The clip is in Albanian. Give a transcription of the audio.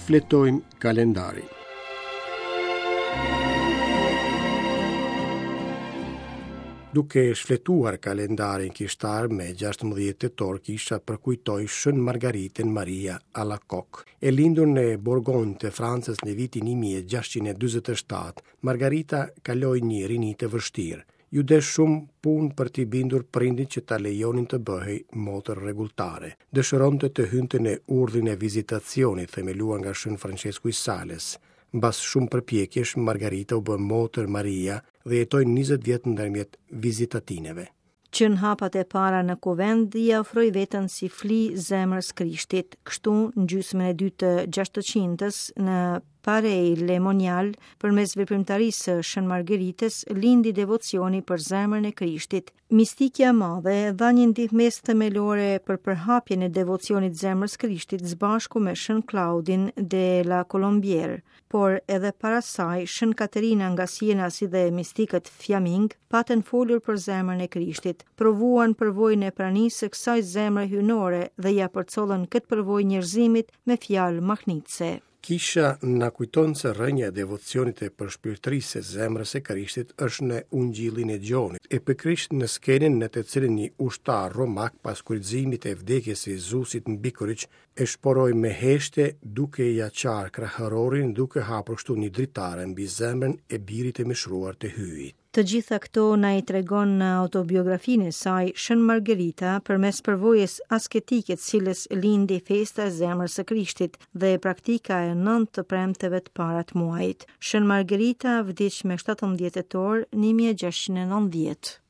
Shfletojmë kalendarin. Duke shfletuar kalendarin kishtar me 16 tetor kisha përkujtoi Shën Margaritën Maria Alacoque. E lindur në Borgonjë të Francës në vitin 1647, Margarita kaloi një rini të vështirë. Iu desh shumë punë për t'i bindur prindërit që ta lejonin të bëhej motër rregulltare. Dëshironte të hynte në urdhrin e vizitacionit, themeluar nga Shën Françesku i Sales. Mbas shumë përpjekjesh, Margarita u bë motër Maria dhe jetoi 20 vjet ndërmjet vizitatineve. Që në hapat e para në kuvend ia ofroi veten si fli zemrës Krishtit. Kështu, në gjysmën e dytë të gjashtëqindës, në Paray-le-Monial, përmes veprimtarisë së Shën Margeritës, lindi devocioni për zemrën e Krishtit. Mistikja e madhe dha një ndihmesë themelore për përhapjen e devocionit zemrës Krishtit së bashku me Shën Klaudin de la Colombière. Por edhe para saj, Shën Katerina nga Siena si dhe mistikët fjamingë patën folur për zemrën e Krishtit, provuan përvojën e pranisë së kësaj zemre hyjnore dhe ia përcollën këtë përvojë njerëzimit me fjalë mahnitëse. Kisha na kujton se rrënja e devocionit e përshpirtërisë së zemrës së Krishtit është në Ungjillin e Gjonit, e pikërisht në skenën në të cilën një ushtar romak pas kryqëzimit e vdekjes së Jezusit mbi kryq e shporoi me heshtje duke ia çarë kraharorin duke hapur kështu një dritare mbi zemrën e birit të mishëruar të Hyjit. Të gjitha këto na i tregon në autobiografinë e saj Shën Margerita përmes përvojës asketike të cilës lindi festa e zemrës së Krishtit dhe praktika e nëntë të premteve të para të muajit. Shën Margerita vdiq me 17 tetor 1690.